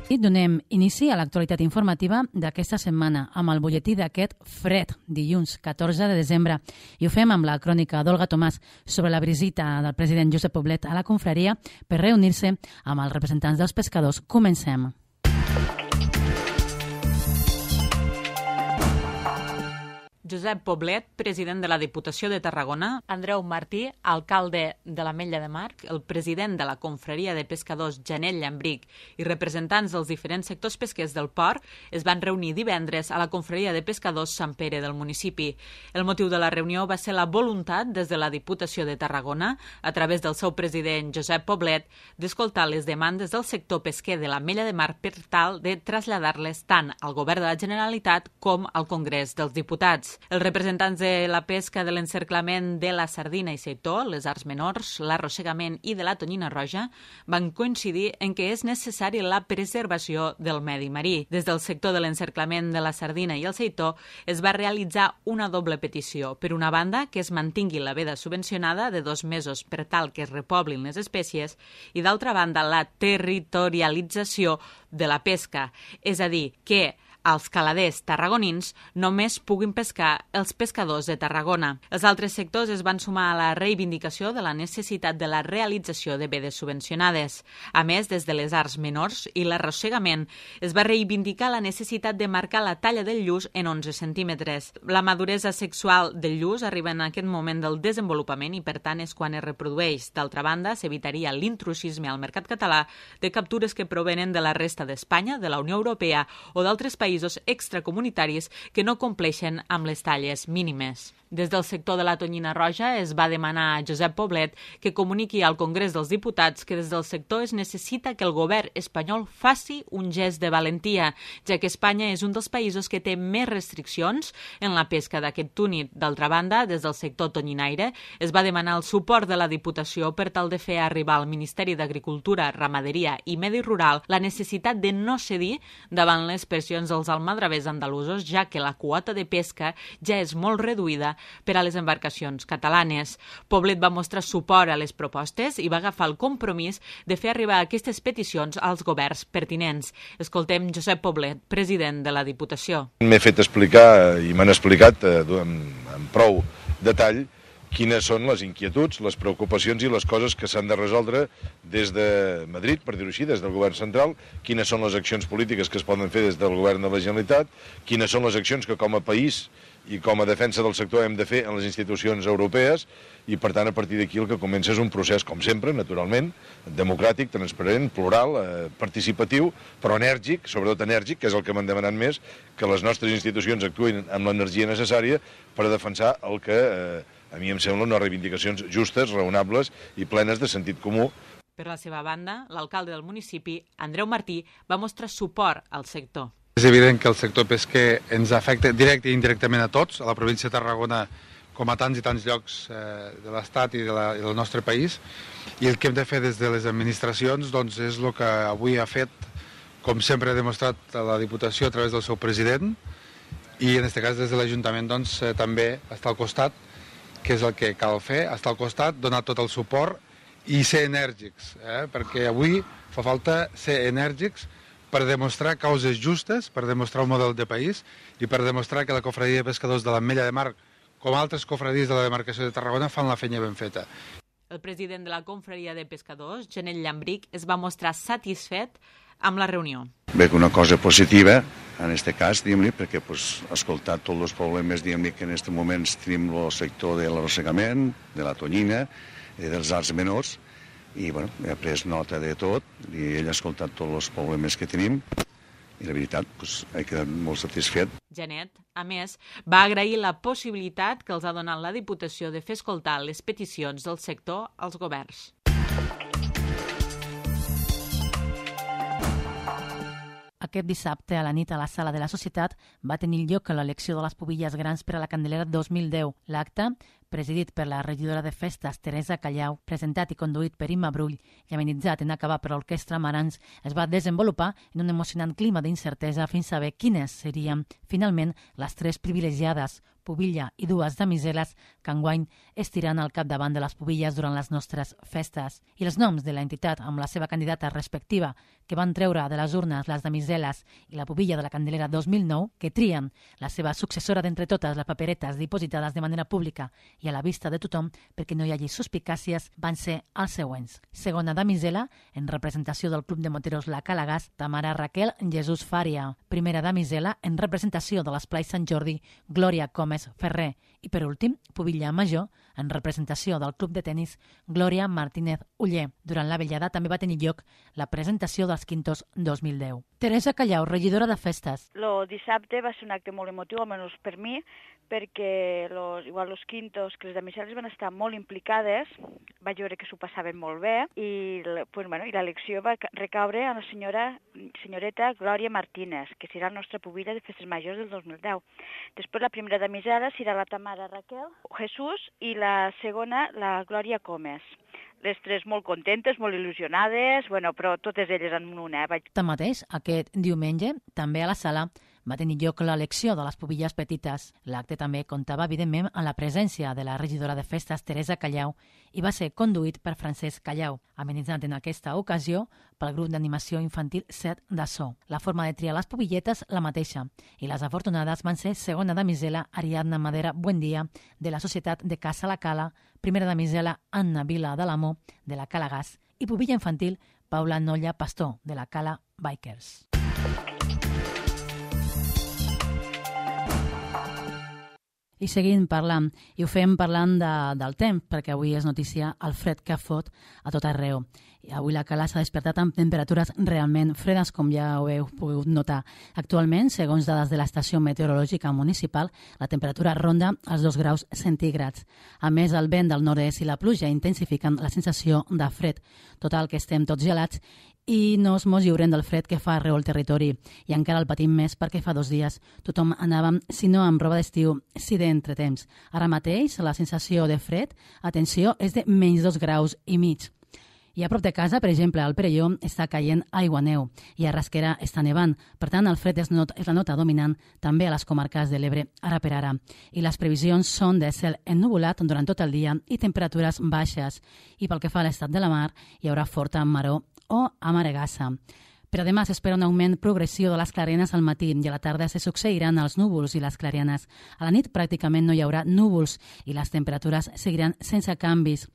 I donem inici a l'actualitat informativa d'aquesta setmana amb el butlletí d'aquest fred, dilluns 14 de desembre. I ho fem amb la crònica d'Olga Tomàs sobre la visita del president Josep Poblet a la confraria per reunir-se amb els representants dels pescadors. Comencem. Josep Poblet, president de la Diputació de Tarragona, Andreu Martí, alcalde de l'Ametlla de Mar, el president de la confraria de pescadors Janet Llambric i representants dels diferents sectors pesquers del port es van reunir divendres a la confraria de pescadors Sant Pere del municipi. El motiu de la reunió va ser la voluntat des de la Diputació de Tarragona, a través del seu president Josep Poblet, d'escoltar les demandes del sector pesquer de l'Ametlla de Mar per tal de traslladar-les tant al Govern de la Generalitat com al Congrés dels Diputats. Els representants de la pesca de l'encerclament de la sardina i seitó, les arts menors, l'arrossegament i de la tonyina roja van coincidir en què és necessari la preservació del medi marí. Des del sector de l'encerclament de la sardina i el seitó es va realitzar una doble petició. Per una banda, que es mantingui la veda subvencionada de 2 mesos per tal que es repoblin les espècies i d'altra banda la territorialització de la pesca, és a dir, que els caladers tarragonins només puguin pescar els pescadors de Tarragona. Els altres sectors es van sumar a la reivindicació de la necessitat de la realització de vedes subvencionades. A més, des de les arts menors i l'arrossegament es va reivindicar la necessitat de marcar la talla del lluç en 11 centímetres. La maduresa sexual del lluç arriba en aquest moment del desenvolupament i, per tant, és quan es reprodueix. D'altra banda, s'evitaria l'intrusisme al mercat català de captures que provenen de la resta d'Espanya, de la Unió Europea o d'altres països extracomunitaris que no compleixen amb les talles mínimes. Des del sector de la tonyina roja es va demanar a Josep Poblet que comuniqui al Congrés dels Diputats que des del sector es necessita que el govern espanyol faci un gest de valentia, ja que Espanya és un dels països que té més restriccions en la pesca d'aquest túnid. D'altra banda, des del sector tonyinaire es va demanar el suport de la Diputació per tal de fer arribar al Ministeri d'Agricultura, Ramaderia i Medi Rural la necessitat de no cedir davant les pressions dels almadravers andalusos, ja que la quota de pesca ja és molt reduïda per a les embarcacions catalanes. Poblet va mostrar suport a les propostes i va agafar el compromís de fer arribar aquestes peticions als governs pertinents. Escoltem Josep Poblet, president de la Diputació. M'he fet explicar i m'han explicat amb prou detall quines són les inquietuds, les preocupacions i les coses que s'han de resoldre des de Madrid, per dir-ho així, des del govern central, quines són les accions polítiques que es poden fer des del govern de la Generalitat, quines són les accions que com a país i com a defensa del sector hem de fer en les institucions europees i, per tant, a partir d'aquí el que comença és un procés, com sempre, naturalment, democràtic, transparent, plural, participatiu, però enèrgic, sobretot enèrgic, que és el que m'han demanat més, que les nostres institucions actuïn amb l'energia necessària per a defensar el que a mi em semblen unes reivindicacions justes, raonables i plenes de sentit comú. Per la seva banda, l'alcalde del municipi, Andreu Martí, va mostrar suport al sector. És evident que el sector pesquer ens afecta directe i indirectament a tots, a la província de Tarragona com a tants i tants llocs de l'Estat i del nostre país, i el que hem de fer des de les administracions doncs, és el que avui ha fet, com sempre ha demostrat la Diputació a través del seu president, i en aquest cas des de l'Ajuntament doncs, també està al costat, que és el que cal fer, estar al costat, donar tot el suport i ser enèrgics, perquè avui fa falta ser enèrgics per demostrar causes justes, per demostrar un model de país i per demostrar que la confraria de pescadors de l'Ametlla de Mar, com altres confraries de la demarcació de Tarragona, fan la feina ben feta. El president de la confraria de pescadors, Janet Llambric, es va mostrar satisfet amb la reunió. Bé, una cosa positiva, en aquest cas, diguem-li, perquè ha escoltat tots els problemes, diguem-li, que en aquest moment tenim el sector de l'arrossegament, de la tonyina, dels arts menors, i bueno, he pres nota de tot, i ell ha escoltat tots els problemes que tenim, i la veritat, he quedat molt satisfet. Janet, a més, va agrair la possibilitat que els ha donat la Diputació de fer escoltar les peticions del sector als governs. Aquest dissabte a la nit a la Sala de la Societat va tenir lloc l'elecció de les pubilles grans per a la Candelera 2010. L'acte, presidit per la regidora de festes Teresa Callau, presentat i conduït per Imma Brull i amenitzat en acabar per l'Orquestra Marans, es va desenvolupar en un emocionant clima d'incertesa fins a saber quines serien, finalment, les 3 privilegiades, pubilla i 2 damiseles, que enguany estiran al capdavant de les pubilles durant les nostres festes. I els noms de l'entitat amb la seva candidata respectiva, que van treure de les urnes les damiseles i la pubilla de la Candelera 2009, que trien la seva successora d'entre totes les paperetes dipositades de manera pública i a la vista de tothom perquè no hi hagi suspicàcies, van ser els següents. Segona damisela, en representació del Club de Moteros La Calagàs, Tamara Raquel Jesús Fària. Primera damisela, en representació de l'Esplai Sant Jordi, Glòria Gómez Ferrer. I per últim, pubilla major, en representació del Club de Tenis, Glòria Martínez Uller. Durant la vetllada també va tenir lloc la presentació dels Quintos 2010. Teresa Callau, regidora de festes. El dissabte va ser un acte molt emotiu, almenys per mi, perquè igual los Quintos, que les damiseles van estar molt implicades, vaig veure que s'ho passaven molt bé, i l'elecció va recaure a la senyoreta Glòria Martínez, que serà la nostra pubilla de festes majors del 2010. Després la primera damisela serà la Tamara Raquel Jesús i la segona la Glòria Gómez. Les 3 molt contentes, molt il·lusionades, però totes elles en una. Tanmateix, aquest diumenge, també a la sala, va tenir lloc l'elecció de les pubilles petites. L'acte també comptava, evidentment, amb la presència de la regidora de festes, Teresa Callau, i va ser conduït per Francesc Callau, amenitzat en aquesta ocasió pel grup d'animació infantil Set de So. La forma de triar les pubilletes la mateixa, i les afortunades van ser segona damisela Ariadna Madera Buendia, de la Societat de Casa La Cala, primera damisela Anna Vila de l'Amo, de la Calagàs, i pubilla infantil Paula Nolla Pastor, de la Cala Bikers. I seguim parlant, i ho fem parlant del temps, perquè avui és notícia el fred que fot a tot arreu. I avui la Cala s'ha despertat amb temperatures realment fredes, com ja ho heu pogut notar. Actualment, segons dades de l'Estació Meteorològica Municipal, la temperatura ronda els 2 graus centígrads. A més, el vent del nord-est i la pluja intensifiquen la sensació de fred. Total, que estem tots gelats i no mos lliurem del fred que fa arreu el territori. I encara el patim més perquè fa 2 dies tothom anàvem, si no amb roba d'estiu, si d'entretemps. Ara mateix la sensació de fred, atenció, és de menys 2 graus i mig. I a prop de casa, per exemple, al Perelló està caient aigua-neu i a Rasquera està nevant. Per tant, el fred és la nota dominant també a les comarques de l'Ebre, ara per ara. I les previsions són de cel ennuvolat durant tot el dia i temperatures baixes. I pel que fa a l'estat de la mar, hi haurà forta maror o amaregassa. Per a demà s'espera un augment progressiu de les clarianes al matí i a la tarda se succeiran els núvols i les clarianes. A la nit pràcticament no hi haurà núvols i les temperatures seguiran sense canvis.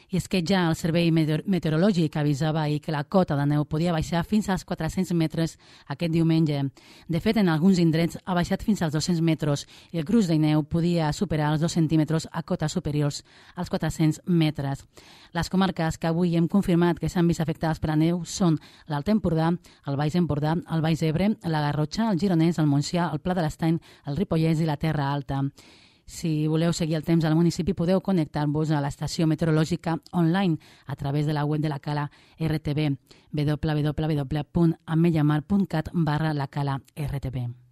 I és que ja el Servei Meteorològic avisava ahir que la cota de neu podia baixar fins als 400 metres aquest diumenge. De fet, en alguns indrets ha baixat fins als 200 metres i el gruix de neu podia superar els 2 centímetres a cotes superiors als 400 metres. Les comarques que avui hem confirmat que s'han vist afectades per la neu són l'Alt Empordà, el Baix Empordà, el Baix Ebre, la Garrotxa, el Gironès, el Montsià, el Pla de l'Estany, el Ripollès i la Terra Alta. Si voleu seguir el temps al municipi, podeu connectar-vos a l'estació meteorològica online a través de la web de la Cala RTB, www.ametlllamar.cat/la-Cala-RTB.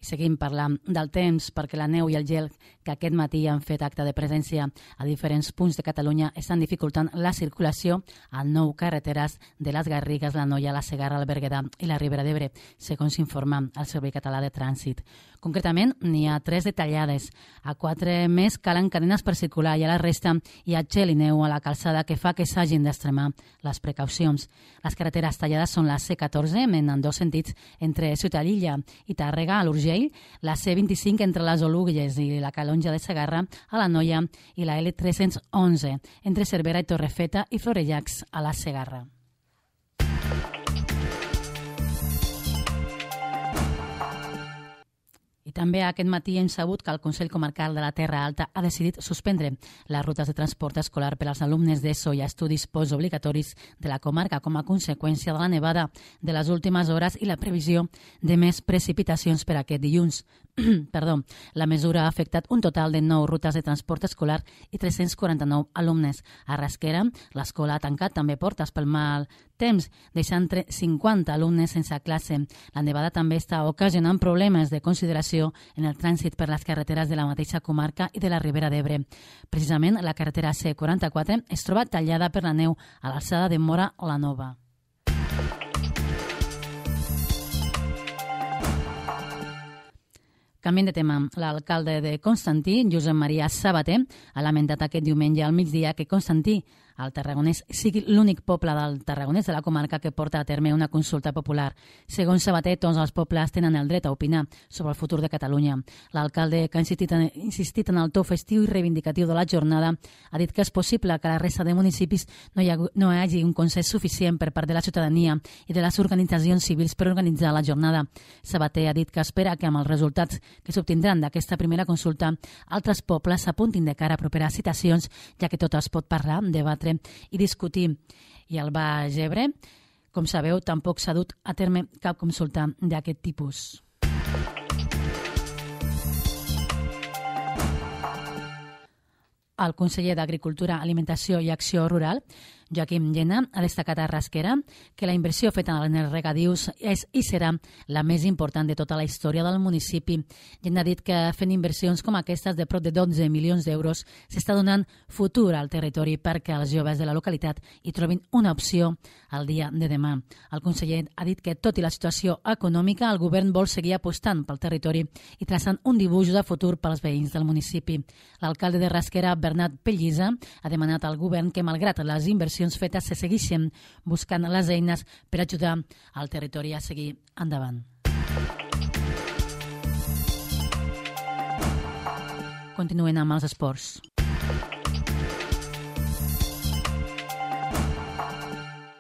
Seguim parlant del temps perquè la neu i el gel que aquest matí han fet acte de presència a diferents punts de Catalunya estan dificultant la circulació a 9 carreteres de les Garrigues, la Noia, la Segarra, el Berguedà i la Ribera d'Ebre, segons s'informa el Servei Català de Trànsit. Concretament, n'hi ha 3 detallades. A 4 més calen cadenes per circular i a la resta hi ha gel i neu a la calçada que fa que s'hagin d'extremar les precaucions. Les carreteres tallades són la C14 en ambdós sentits entre Ciutadilla i Tàrrega a l'Urgell, la C25 entre les Oluges i la Calonja de Segarra a la Noia i la L311 entre Cervera i Torrefeta i Florejacs a la Segarra. I també aquest matí hem sabut que el Consell Comarcal de la Terra Alta ha decidit suspendre les rutes de transport escolar per als alumnes d'ESO i estudis postobligatoris de la comarca com a conseqüència de la nevada de les últimes hores i la previsió de més precipitacions per aquest dilluns. La mesura ha afectat un total de 9 rutes de transport escolar i 349 alumnes. A Rasquera, l'escola ha tancat també portes pel mal temps, deixant 50 alumnes sense classe. La nevada també està ocasionant problemes de consideració en el trànsit per les carreteres de la mateixa comarca i de la Ribera d'Ebre. Precisament, la carretera C44 es troba tallada per la neu a l'alçada de Móra la Nova. Canviant de tema, l'alcalde de Constantí, Josep Maria Sabater, ha lamentat aquest diumenge al migdia que Constantí, el Tarragonès, sigui l'únic poble del Tarragonès de la comarca que porta a terme una consulta popular. Segons Sabater, tots els pobles tenen el dret a opinar sobre el futur de Catalunya. L'alcalde, que ha insistit en el to festiu i reivindicatiu de la jornada, ha dit que és possible que a la resta de municipis no hi hagi un consens suficient per part de la ciutadania i de les organitzacions civils per organitzar la jornada. Sabater ha dit que espera que amb els resultats que s'obtindran d'aquesta primera consulta, altres pobles s'apuntin de cara a properes citacions, ja que tot es pot parlar, debatre i discutir. I al Baix Ebre, com sabeu, tampoc s'ha dut a terme cap consulta d'aquest tipus. El conseller d'Agricultura, Alimentació i Acció Rural, Joaquim Llena, ha destacat a Rasquera que la inversió feta en els regadius és i serà la més important de tota la història del municipi. Llena ha dit que fent inversions com aquestes de prop de 12 milions d'euros s'està donant futur al territori perquè els joves de la localitat hi trobin una opció al dia de demà. El conseller ha dit que, tot i la situació econòmica, el govern vol seguir apostant pel territori i traçant un dibuix de futur pels veïns del municipi. L'alcalde de Rasquera, Bernat Pellisa, ha demanat al govern que, malgrat les inversions fetes, se segueixen buscant les eines per ajudar al territori a seguir endavant. Continuem amb els esports.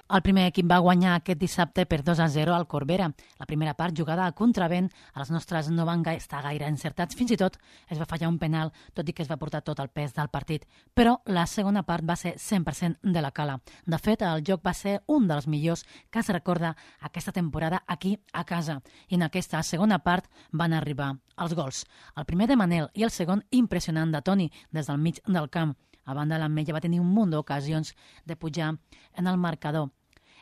El primer equip va guanyar aquest dissabte per 2-0 al Corbera. La primera part, jugada a contravent, els nostres no van estar gaire encertats. Fins i tot es va fallar un penal, tot i que es va portar tot el pes del partit. Però la segona part va ser 100% de la cala. De fet, el joc va ser un dels millors que es recorda aquesta temporada aquí a casa. I en aquesta segona part van arribar els gols. El primer de Manel i el segon impressionant de Toni des del mig del camp. A banda, l'Ametlla va tenir un munt d'ocasions de pujar en el marcador.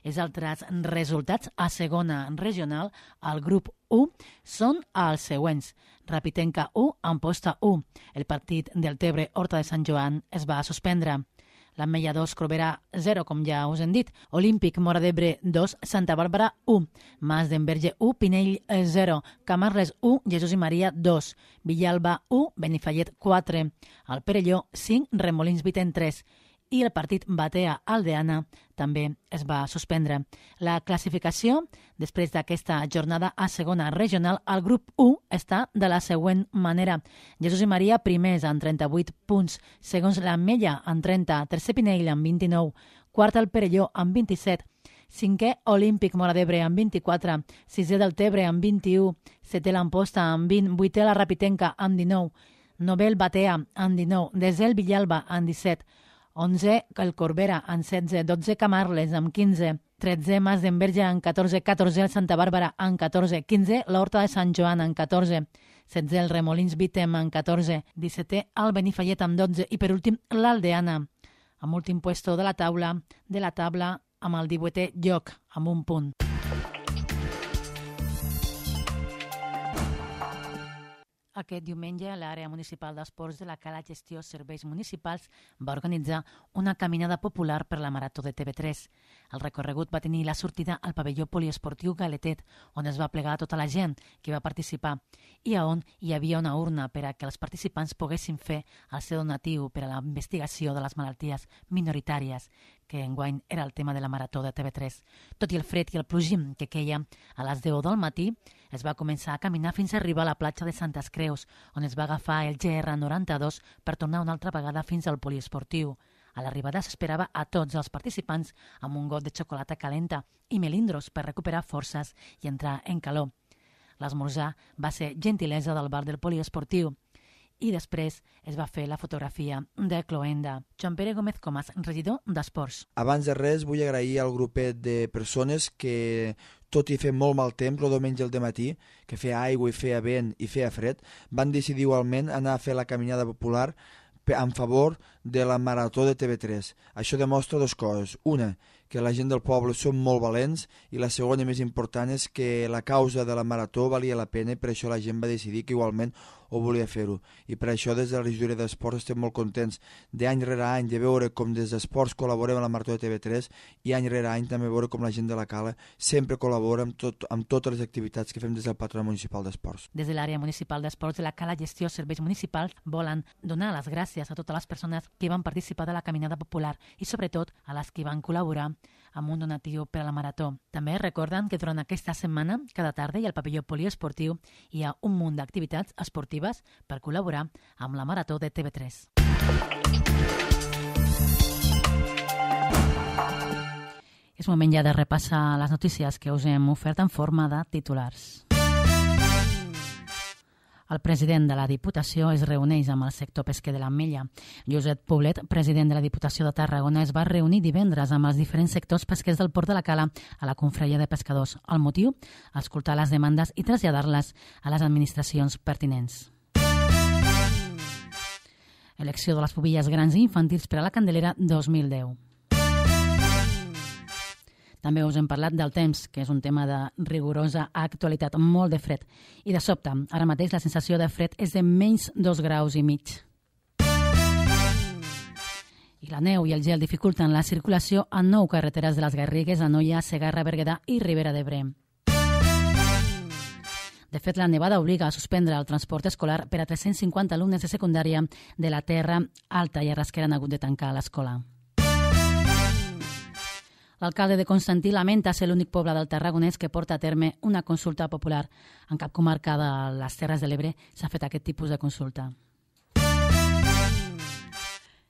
Els altres resultats a segona regional, al grup 1, són els següents. Rapitenca 1, Amposta 1. El partit del Tebre Horta de Sant Joan es va suspendre. L'Ametlla 2, Corbera 0, com ja us hem dit. Olímpic Móra d'Ebre 2, Santa Bàrbara 1. Mas d'Enverge 1, Pinell 0. Camarles 1, Jesús i Maria 2. Villalba 1, Benifallet 4. El Perelló 5, Remolins Viten 3. I el partit Batea-Aldeana també es va suspendre. La classificació, després d'aquesta jornada a segona regional, al grup 1 està de la següent manera. Jesús i Maria primers amb 38 punts, segons l'Ametlla amb 30, tercer Pinell amb 29, quart el Perelló amb 27, cinquè Olímpic Móra d'Ebre amb 24, sisè del Tebre amb 21, setè l'Amposta amb 20, vuitè la Rapitenca amb 19, novè el Batea amb 19, desè el Villalba amb 17, 11 el Corbera amb 16, 12 Camarles amb 15, 13 Mas d'Enverge amb 14, 14 el Santa Bàrbara amb 14, 15 l'Horta de Sant Joan amb 14, 16 el Remolins Vitem amb 14, 17 el Benifallet amb 12 i per últim l'Aldeana amb últim puesto de la taula amb el 18è lloc amb un punt. Aquest diumenge, l'àrea municipal d'esports de la Cala Gestió Serveis Municipals va organitzar una caminada popular per la Marató de TV3. El recorregut va tenir la sortida al pavelló poliesportiu Galetet, on es va plegar tota la gent que va participar i on hi havia una urna per a que els participants poguessin fer el seu donatiu per a la investigació de les malalties minoritàries, que enguany era el tema de la Marató de TV3. Tot i el fred i el plogim que queia, a les 10 del matí es va començar a caminar fins a arribar a la platja de Santes Creus, on es va agafar el GR92 per tornar una altra vegada fins al poliesportiu. A l'arribada s'esperava a tots els participants amb un got de xocolata calenta i melindros per recuperar forces i entrar en calor. L'esmorzar va ser gentilesa del bar del poliesportiu i després es va fer la fotografia de cloenda. Joan Pere Gómez Comas, regidor d'Esports. Abans de res vull agrair al grupet de persones que, tot i fer molt mal temps, el diumenge al dematí, que feia aigua i feia vent i feia fred, van decidir igualment anar a fer la caminada popular en favor de la marató de TV3. Això demostra dues coses. Una, que la gent del poble són molt valents, i la segona, més important, és que la causa de la marató valia la pena i per això la gent va decidir que igualment ho volia fer-ho. I per això des de la regidoria d'Esports estem molt contents d'any rere any de veure com des d'Esports col·laborem amb la marató de TV3 i any rere any també veure com la gent de la Cala sempre col·labora amb totes les activitats que fem des del Patronat Municipal d'Esports. Des de l'àrea municipal d'Esports de la Cala Gestió Serveis Municipals volen donar les gràcies a totes les persones que van participar de la caminada popular i sobretot a les que van col·laborar amb un donatiu per a la marató. També recorden que durant aquesta setmana, cada tarda i al pavelló poliesportiu hi ha un munt d'activitats esportives per col·laborar amb la marató de TV3. És moment ja de repassar les notícies que us hem ofert en forma de titulars. El president de la Diputació es reuneix amb el sector pesquer de l'Ametlla. Josep Poblet, president de la Diputació de Tarragona, es va reunir divendres amb els diferents sectors pesquers del Port de la Cala a la Confraria de Pescadors. El motiu? Escoltar les demandes i traslladar-les a les administracions pertinents. Elecció de les pubilles grans i infantils per a la Candelera 2010. També us hem parlat del temps, que és un tema de rigorosa actualitat, molt de fred. I de sobte, ara mateix la sensació de fred és de menys 2,5 graus. I la neu i el gel dificulten la circulació a 9 carreteres de les Garrigues, Anoia, Segarra, Berguedà i Ribera d'Ebre. De fet, la nevada obliga a suspendre el transport escolar per a 350 alumnes de secundària de la Terra Alta i a Rasquera han hagut de tancar l'escola. L'alcalde de Constantí lamenta ser l'únic poble del Tarragonès que porta a terme una consulta popular. En cap comarca de les Terres de l'Ebre s'ha fet aquest tipus de consulta.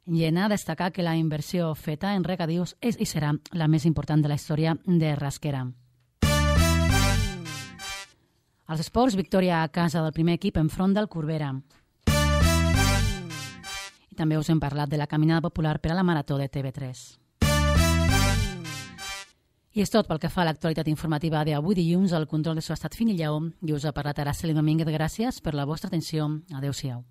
Llena destacar que la inversió feta en regadius és i serà la més important de la història de Rasquera. Als esports, victòria a casa del primer equip enfront del Corbera. I també us hem parlat de la caminada popular per a la marató de TV3. I és tot pel que fa a l'actualitat informativa d'avui dilluns. El control de so ha estat fin i lleó i us ha parlat Araceli Domínguez. Gràcies per la vostra atenció. Adéu-siau.